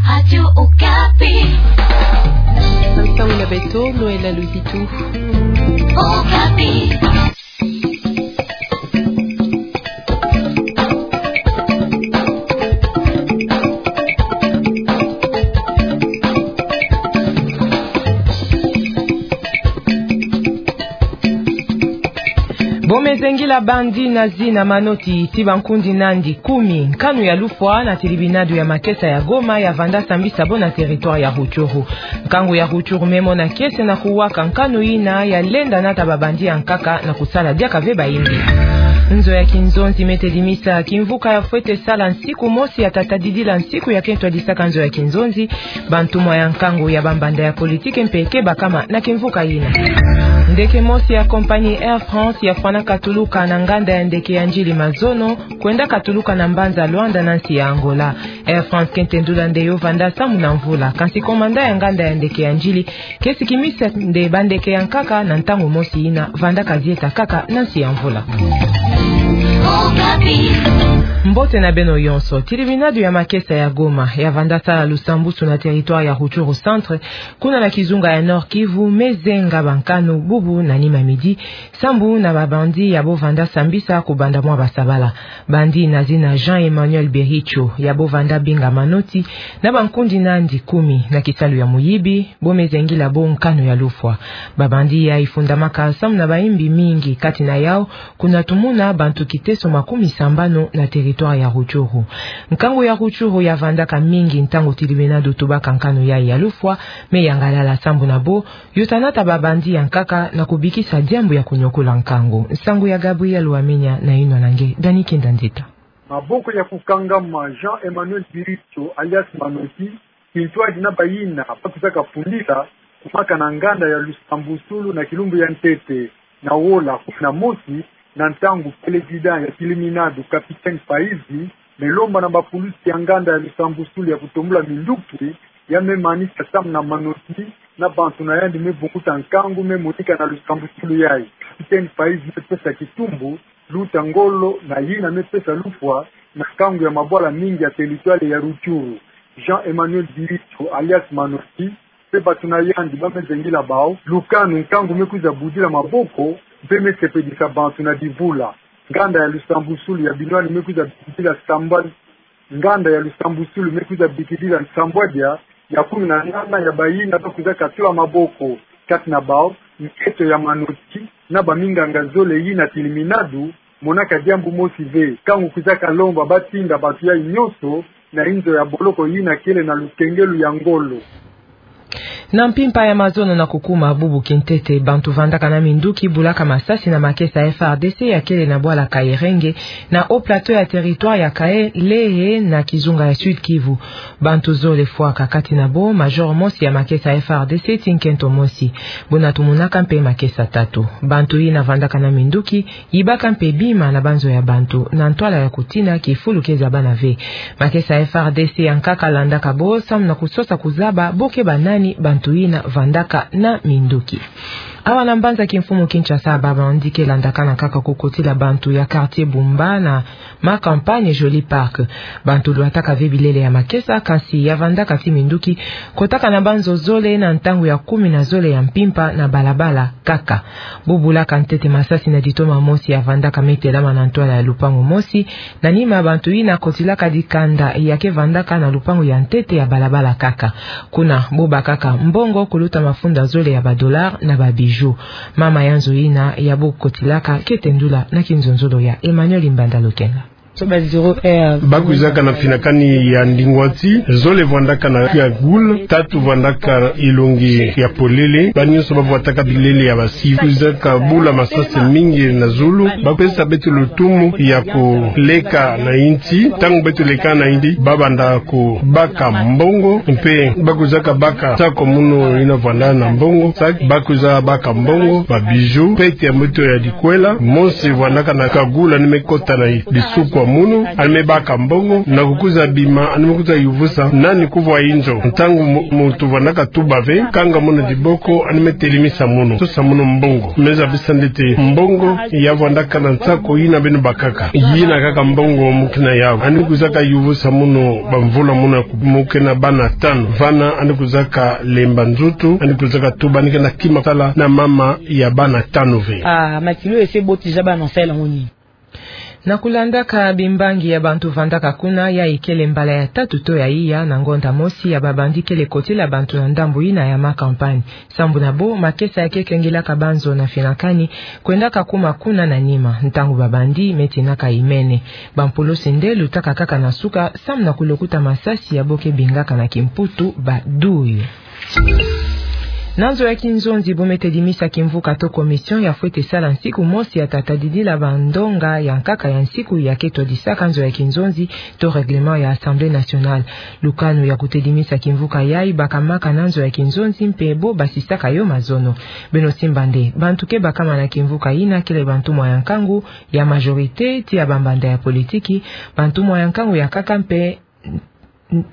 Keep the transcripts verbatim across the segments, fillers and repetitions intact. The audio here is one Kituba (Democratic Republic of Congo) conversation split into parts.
Radio Okapi. Ntangu na beto, Noëlla Luzitu. Okapi. Bo me zengila bandi na zina manoti ti bankundi nandi kumi. Nkanu ya lufwa na tilibinadu ya makesa ya Goma ya vanda sambisa bo na territoire ya Rutshuru. Nkangu ya Rutshuru me mona kiese na kuwaka nkanu yina ya lenda nata babandi ya nkaka na kusala diaka ve bayimbi. Nzo ya kinzonzi me tedimisa kimvuka ya fwete sala nsiku mosi ya tata didila nsiku ya kento ya disaka nzo ya kinzonzi, bantumwa ya nkangu ya bambanda ya politiki mpe ke bakama na kimvuka yina. Ndeke mosi ya compagnie Air France ya fwana katuluka na nganda ya ndeke ya Ndjili Mazono, kwenda katuluka na mbanza Luanda na nsi ya Angola. Air France ke ntendula nde yo vanda samu na mvula, kansi commandant ya nganda ya ndeke ya Ndjili ke sikimisa nde bandeke ya nkaka na ntangu mosi yina vanda ka zieta kaka na nsi ya mvula. Mbote na beno yonso. Tilibinadu ya makesa ya Goma ya vanda sala lusambusu na territoire ya Rutshuru Centre, kuna na kizunga ya Nord-Kivu, me zenga bankanu bubu na nima midi, sambu na babandi ya bo vanda sambisa kubanda mwa basabala. Bandi na zina Jean Emmanuel Bericho ya bo vanda binga manoti na bankundi nandi kumi na kisalu ya muyibi, bo me zengila bo nkanu ya lufwa. Babandi yayi fundamaka samu na bayimbi mingi, kati na yau kuna tumuna bantu kiteso makumi sambanu na territoire ya Rutshuru. Nkangu ya Rutshuru ya vandaka mingi ntangu tilibinadu tubaka nkanu yayi ya lufwa, me yangalala sambu na bo yo ta nata babandi ya nkaka na kubikisa diambu ya kunyokola nkangu. Nsangu ya Gabriel Wamenya na yinwa na nge Dani Kinda Nzita. Maboko ya kukangama Jean Emmanuel Bericho alias Manoti, kintwadi na bayina ba kwizaka fundila kumaka na nganda ya lusambusulu na kilumbu ya ntete na wola kumi na mosi, na ntangu président ya tilibinadu, capitaine Faizi, me lomba na bapulusi ya nganda ya lusambusulu ya kutombula minduki, ya me manisa samu na Manoti na bantu na yandi me bunkuta nkangu me monika na lusambusulu yayi. Capitaine Faizi me pesa kitumbu, luta ngolo na yina me pesa lufwa na nkangu ya mabwala mingi ya territoire ya Rutshuru. Jean Emmanuel Bericho alias Manoti, mpe bato na yandi ba me zengila bawu lukanu nkangu me kwiza budila maboko, mpe me sepelisa bantu na bivula. Nganda ya lusambusulu ya binwani me kwiza bikidila sambwa, nganda ya lusambusulu me kwiza bikidila nsambwadia ya kumi na nana ya bayina ba kwizaka tula maboko, kati na bawu nkento ya Manoti na baminganga zole yina tilibinadu monaka diambu mosi ve. Nkangu kwizaka lomba ba tinda bato yayi nyonso na inzo ya boloko yina kele na lukengelo ya ngolo. Na mpimpa ya mazono na kukuma bubu kintete, bantu vandaka na minduki bulaka masasi na makesa F R D C ya kele na bwala Kairenge, na haut plateau ya territoire ya Kalehe na kizunga ya Sud-Kivu. Bantu zole fwaka, kati na bo major mosi ya makesa F R D C ti nkento mosi. Buna tumonaka mpe makesa tatu. Bantu yina vandaka na minduki yibaka mpe bima na banzo ya bantu, na ntwala ya kutina kifulu ke zabana ve. Makesa F R D C ya nkaka landaka bo samu na kusosa kuzaba bo ke banani bantu yina vandaka na minduki. Awa na mbanza kimfumu Kinshasa, babandi ke landakana kaka kukotila bantu ya quartier Bumba na Ma Campagne Jolie Park. Bantu lwataka ve bilele ya makesa, kansi ya vandaka ti minduki kotaka na banzo zole na ntangu ya kumi na zole ya mpimpa na balabala kaka. Bo bulaka ntete masasi na ditoma mosi ya vandaka me telama na ntwala ya lupangu mosi. Na nima, bantu yina kotilaka dikanda ya ke vandaka na lupangu ya ntete ya balabala kaka. Kuna bo bakaka mbongo kuluta mafunda zole ya ba dollars na ba bijoux. Mama ya nzo yina ya bo kotilaka ke tendula na kinzonzolo ya Emmanuel Mbanda Lokenga. Ba kwizaka na finakani ya ndingwati, zole vandaka na cagoule, tatu vandaka elongi ya polele, ba nyonso ba vwataka bilele ya basi. Kwizaka bula masasi mingi na zulu, ba pesa beto lutumu ya koleka na insi. Ntangu beto leka na insi, ba banda kobaka mbongo, mpe ba kwizaka baka sac munu yina vwanda na mbongo, sac, ba kwiza baka mbongo, ba bijoux, pete ya moto ya dikwela, mosi vandaka na cagoule ni me kota na bisukwa. Munu, yandi me baka mbongo, na kukwiza bima, yandi me kwiza yuvusa nani kuvwa inzo. Ntangu mu-, muntu vandaka tuba ve, kanga munu diboko, yandi me telimisa munu, sosa munu mbongo. Me zabisa nde ti mbongo ya vandaka na nsako yina beno bakaka. Yina kaka mbongo mu kena yawu. Yandi kwizaka yuvusa munu bamvula munu ya ku-, mu kena bana tanu. Vana yandi kwizaka lemba nzutu, yandi kwizaka tuba yandi kena kima sala na mama ya bana tanu ve. Ah, Matilo ese botija bana sala ngoni. Na kulandaka bimbangi ya bantu vandaka kuna, yayi kele mbala ya tatu to ya iya na ngonda mosi ya ba bandit kele kotila bantu na ndambu yina ya ma campagne. Sambu na bo, makesa ya ke kengilaka banzo na finakani, kwendaka kuma kuna na nima, ntangu ba bandit me tinaka imene. Bampulusi nde lutaka kaka na suka, samu na kulokuta masasi ya bo ke bingaka na kimputu ba douille. Na nzo ya kinzonzi, bo me tedimisa kimvuka to commission ya fwete sala nsiku mosi ya ta tadidila bandonga ya nkaka ya nsiku ya ke twadisaka nzo ya kinzonzi to règlement ya Assemblée nationale. Lukanu ya kutedimisa kimvuka yayi bakamaka na nzo ya kinzonzi mpe bo basisaka yo mazono. Beno simba nde, bantu ke bakama na kimvuka yina kele bantumwa ya nkangu ya majorité ti ya bambanda ya politiki, bantumwa ya nkangu ya nkaka mpe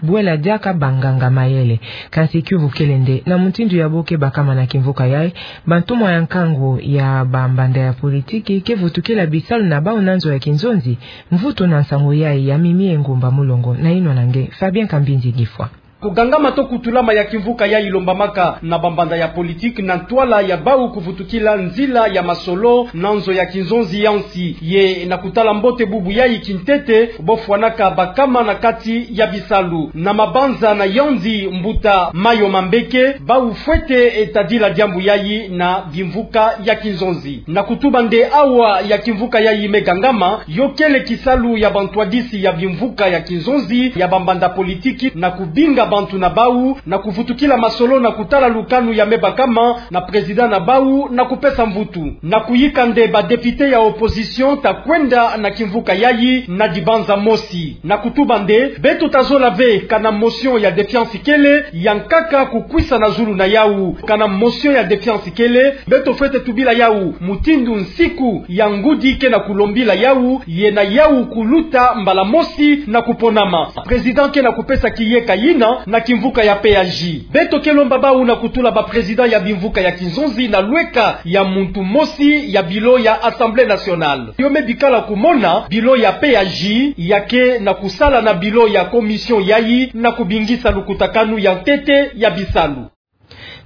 bwela diaka banganga mayele. Kansi kiuvu kele nde, na mutindu ya bo ke bakama na kimvuka yayi, bantumwa ya nkangu ya bambanda ya politiki ke vutukila bisalu na bawu na nzo ya kinzonzi. Mvutu na nsangu yayi ya Mimi Engumba Mulongo, nayinwa na nge Fabien Kambinzi Gifwa. Kugangama to kutulama ya kimvuka yayi lombamaka na bambanda ya politiki na ntwala ya bawu kuvutukila nzila ya masolo na nzo ya kinzonzi ya nsi. Ye na kutala mbote bubu yayi kintete, bo fwanaka bakama na kati ya bisalu. Na mabanza na yandi mbuta Mayo Mambeke, bawu fwete tadila diambu yayi na bimvuka ya kinzonzi. Na kutuba nde awa ya kimvuka yayi me gangama, yo kele kisalu ya bantwadisi ya bimvuka ya kinzonzi ya bambanda politiki na kubinga bantu na bawu, na kuvutukila masolo na kutala lukanu ya me bakama na président na bawu na kupesa mvutu. Na kuyika nde ba député ya opposition ta kwenda na kimvuka yayi na dibanza mosi. Na kutuba nde, beto ta zola ve kana motion ya défiance kele ya nkaka kukwisa na zulu na yawu. Kana motion ya défiance kele, beto fwete tubila yawu mutindu nsiku ya ngudi ke na kulombila yawu, ye na yawu kuluta mbala mosi na kuponama. Président ke na kupesa kiyeka yina na kimvuka ya P A J. Beto ke lomba bawu na kutula ba président ya bimvuka ya kinzonzi na lweka ya muntu mosi ya bureau ya Assemblée nationale. Yo me bikala kumona bureau ya P A J ya ke na kusala na bureau ya commission yayi na kubingisa lukutakanu ya ntete ya bisalu.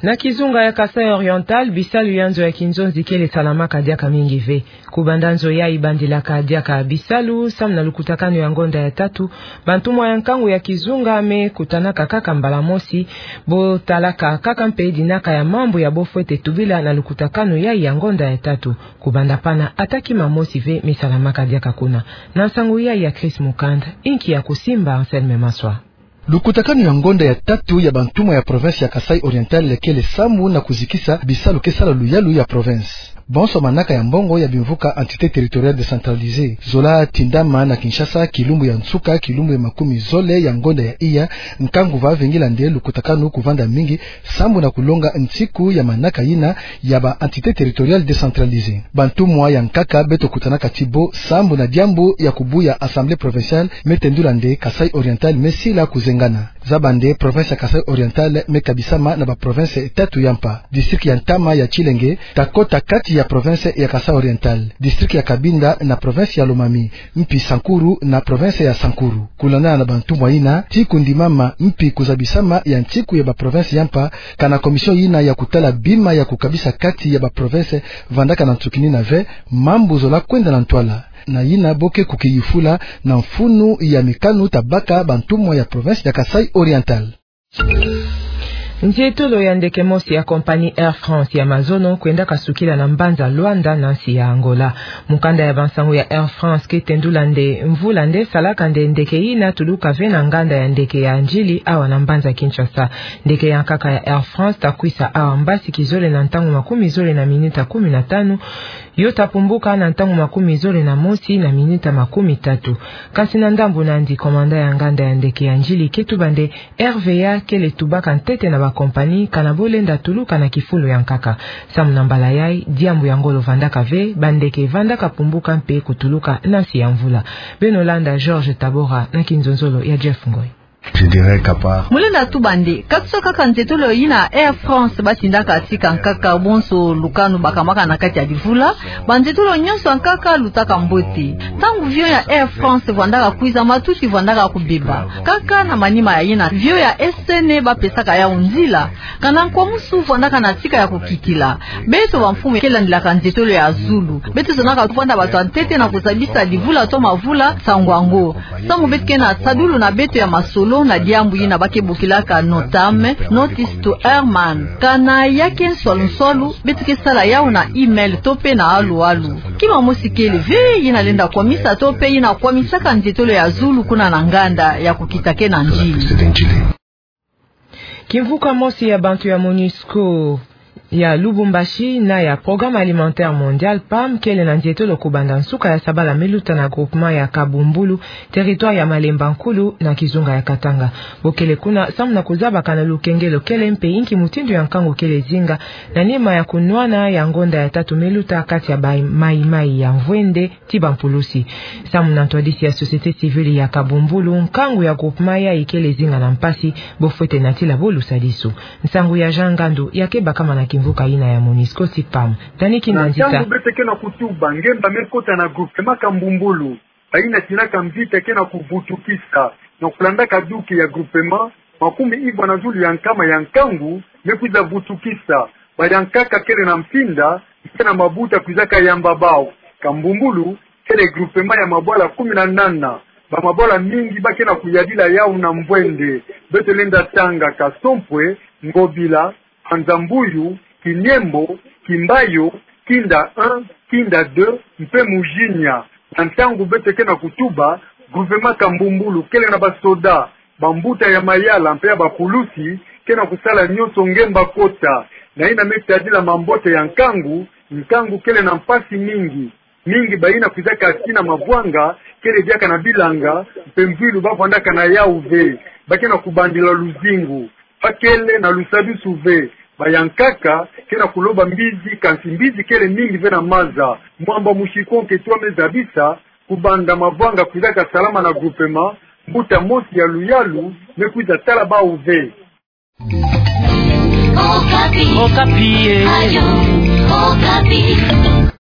Na kizunga ya Kasaï Oriental, bisalu ya nzo ya kinzonzi kele salamaka diaka mingi ve. Kubanda nzo yayi bandilaka diaka bisalu, samu na lukutakanu ya ngonda ya tatu, bantumwa ya nkangu ya kizunga me kutanaka kaka mbala mosi, bo talaka kaka mpe dinaka ya mambu ya bo fwete tubila na lukutakanu yayi ya ngonda ya tatu. Kubanda pana ata kima mosi ve me salamaka diaka kuna. Na nsangu yayi ya Chris Mukanda, inki ya kusimba Anselme Maswa. Lukutakanu ya ngonda ya tatu ya bantumwa ya province ya Kasaï Oriental kele samu na kuzikisa bisalu ke sala luyalu ya province. Bonso manaka ya mbongo ya bimvuka entité territoriale décentralisée zola tindama na Kinshasa kilumbu ya nsuka, kilumbu ya makumi zole ya ngonda ya iya, nkangu va vingila nde lukutakanu kuvanda mingi, samu na kulonga nsiku ya manaka yina ya ba entité territoriale décentralisée. Bantumwa ya nkaka beto kutanaka ti bo samu na diambu ya kubuya Assemblée provinciale me tendula nde Kasaï Oriental me sila kuzengana. Zaba nde province ya Kasaï Oriental me kabisama na ba province tatu ya mpa. District ya ntama ya Tshilenge ta kota kati ya province ya Kasaï Oriental. District ya Cabinda na province ya Lomami, mpi Sankuru na province ya Sankuru. Kulandana na bantumwa yina, ti kundimama mpi kuzabisama ya nsiku ya ba province ya mpa, kana commission yina ya kutala bima ya kukabisa kati ya ba province vandaka na nsukini na ve, mambu zola kwenda na ntwala. Na yina bo ke kukiyufula na mfunu ya mikanu ta baka bantumwa ya province ya Kasaï Oriental. Nzietolo ya ndeke mosi ya compagnie Air France ya mazono kwendaka sukila na mbanza Luanda na nsi ya Angola. Mukanda ya bansangu ya Air France ke tendula nde mvula nde salaka nde ndeke yina tuluka ve na nganda ya ndeke ya Ndjili awa na mbanza Kinshasa. Ndeke ya nkaka ya Air France ta kwisa awa mbasi kizole na ntangu makumi zole na minuta kumi na tanu, yo ta pumbuka na ntangu makumi zole na mosi na minuta makumi tatu. Kasi na ndambu nandi, commandant ya nganda ya ndeke ya Ndjili ke tuba nde R V A kele tubaka ntete na ba compagnie, kana bo lenda tuluka na kifulu ya nkaka. Samu na mbala yai, diambu ya ngolo vandaka ve, bandeke vandaka pumbuka mpe kutuluka na nsi ya mvula. Beno landa Georges Tabora na kinzonzolo ya Jeff Ngoy. Je dirais qu'à part. Mu lenda tuba nde, katusa kaka nzietolo yina Air France batindaka tika nkaka bonso lukanu bakamaka na kati ya livula, banzietolo nyonso ya nkaka lutaka mbote. Ntangu avion ya Air France vandaka kwiza, matuti vandaka kubeba. Kaka na manima ya yina avion ya S N A bapesaka yau nzila, kana nkwamusu vandaka na tika ya kukikila. Beto bamfumu kele landilaka nzietolo ya zulu, beto zonaka tuvanda bato ya ntete na kuzabisa livula to mavula nsangu yango. Samu beto ke na sadulu na beto ya masolo na diambu yina ba ke bokilaka NOTAM, Notice to Airman. Kana ya ke nswalu nswalu, beto ke sala yau na email to mpe na alu alu. Kima mosi kele ve yina lenda kwamisa to mpe yina kwamisaka nzietolo ya zulu kuna na nganda ya kukita ke na ndili. Kimvuka mosi ya bantu ya MONUSCO ya Lubumbashi na ya Programme Alimentaire Mondial, pam, kele na nzietolo kubanda nsuka ya sabala miluta na groupement ya Kabumbulu, territoire ya Malemba Nkulu, na kizunga ya Katanga. Bo kele kuna samu na kuzabaka na lukengelo kele mpe inki mutindu ya nkangu kele zinga na nima ya kunwana ya ngonda ya tatu miluta kati ya ba Mai Mai ya Mvwende ti bampulusi. Samu na ntwadisi ya société civile ya Kabumbulu, nkangu ya groupement yai kele zinga na mpasi, bo fwete natila bo lusadisu. Nsangu ya Jean Ngandu ya ke bakama na kimvuka yina ya MONUSCO ti pam. Tani kinda nzita. Na ntangu beto ke na kutuba ngemba me kota na groupement Kabumbulu, bayina tindaka mvita ke na kuvutukisa, na kulandaka duki ya groupement, makumi ivwa na zulu ya nkama ya nkangu me kwiza vutukisa. Bayankaka kele na mpinda, mpe na mabuta kwizaka yamba bau. Kabumbulu kele groupement ya mabwala kumi na nana. Bamabwala mingi ba ke na kuyadila yau na Mvwende. Beto lenda tanga: Kasompwe, Ngobila, Anza-Mbuyu, Kiniembo, Kimbayo, Kinda un, Kinda deux, mpe Mujinya. Na ntangu beto ke na kutuba, groupement Kabumbulu kele na basoda, bambuta ya mayala mpe ya bapulusi ke na kusala nyonso ngemba kota. Na yina me tadila mambote ya nkangu, nkangu kele na mpasi mingi. Mingi bayina kwizaka tina mavwanga kele diaka na bilanga, mpe mvwilu ba vwandaka na yau ve. Ba ke na kubandila luzingu. Ba kele na lusadisu ve. Bayankaka ke na kuloba mbizi, kansi mbizi kele mingi ve na maza. Mwamba musikonke twa me zabisa kubanda mavwanga kwizaka salama na groupement, mbuta mosi ya luyalu me kwiza tala bau ve. Okapi. Okapi, eh. Ayo, Okapi.